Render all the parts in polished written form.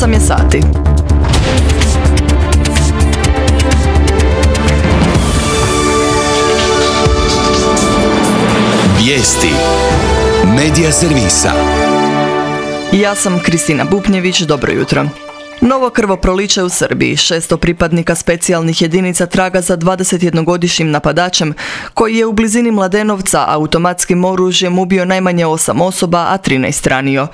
8 je sati. Vijesti Medija servisa. Ja sam Kristina Bupnjević, dobro jutro. Novo krvoproliće u Srbiji. 600 pripadnika specijalnih jedinica traga za 21-godišnjim napadačem koji je u blizini Mladenovca automatskim oružjem ubio najmanje 8 osoba, a 13 ranio.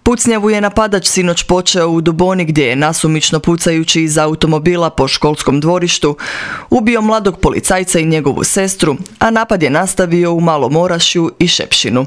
Pucnjavu je napadač sinoć počeo u Duboni gdje je nasumično pucajući iz automobila po školskom dvorištu ubio mladog policajca i njegovu sestru, a napad je nastavio u Malom Orašju i Šepšinu.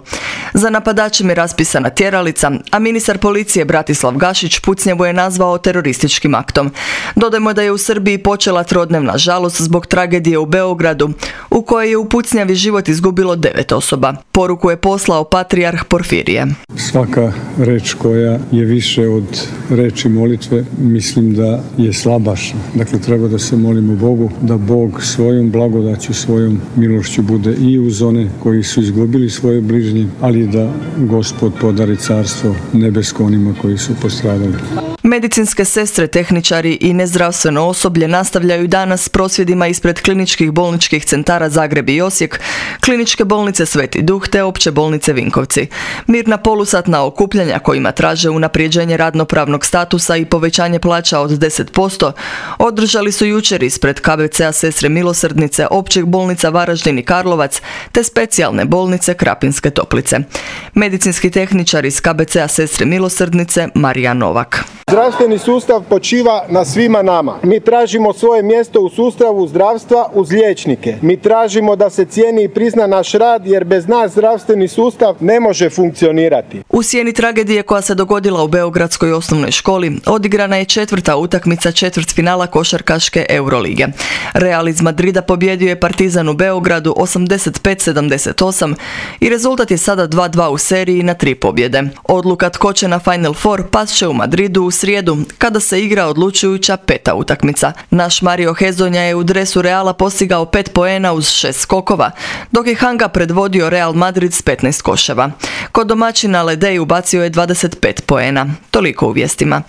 Za napadačem je raspisana tjeralica, a ministar policije Bratislav Gašić pucnjavu je nazvao terorističkim aktom. Dodajmo da je u Srbiji počela trodnevna žalost zbog tragedije u Beogradu, u kojoj je u pucnjavi život izgubilo 9 osoba. Poruku je poslao patrijarh Porfirije. Svaka reč koja je više od reči molitve, mislim da je slabašna. Dakle, treba da se molimo Bogu, da Bog svojom blagodaću, svojom milošću bude i uz one koji su izgubili svoje bližnje, ali da Gospod podari carstvo nebesko onima koji su postradali. Medicinske sestre, tehničari i nezdravstveno osoblje nastavljaju danas s prosvjedima ispred kliničkih bolničkih centara Zagreb i Osijek, kliničke bolnice Sveti Duh te opće bolnice Vinkovci. Mirna polusatna okupljanja kojima traže unaprijeđenje radnopravnog statusa i povećanje plaća od 10% održali su jučer ispred KBC-a Sestre Milosrdnice, općih bolnica Varaždin i Karlovac te specijalne bolnice Krapinske Toplice. Medicinski tehničar iz KBC-a Sestre Milosrdnice Marija Novak. Zdravstveni sustav počiva na svima nama. Mi tražimo svoje mjesto u sustavu zdravstva uz liječnike. Mi tražimo da se cijeni i prizna naš rad jer bez nas zdravstveni sustav ne može funkcionirati. U sjeni tragedije koja se dogodila u Beogradskoj osnovnoj školi odigrana je 4. utakmica četvrtfinala košarkaške Eurolige. Real iz Madrida pobjedio je Partizan u Beogradu 85-78 i rezultat je sada 2-2 u seriji na 3 pobjede. Odluka tko će na Final Four past će u Madridu u srijedu, kada se igra odlučujuća 5. utakmica. Naš Mario Hezonja je u dresu Reala postigao 5 poena uz 6 skokova, dok je Hanga predvodio Real Madrid s 15 koševa. Kod domaćina Ledej ubacio je 25 poena. Toliko u vijestima.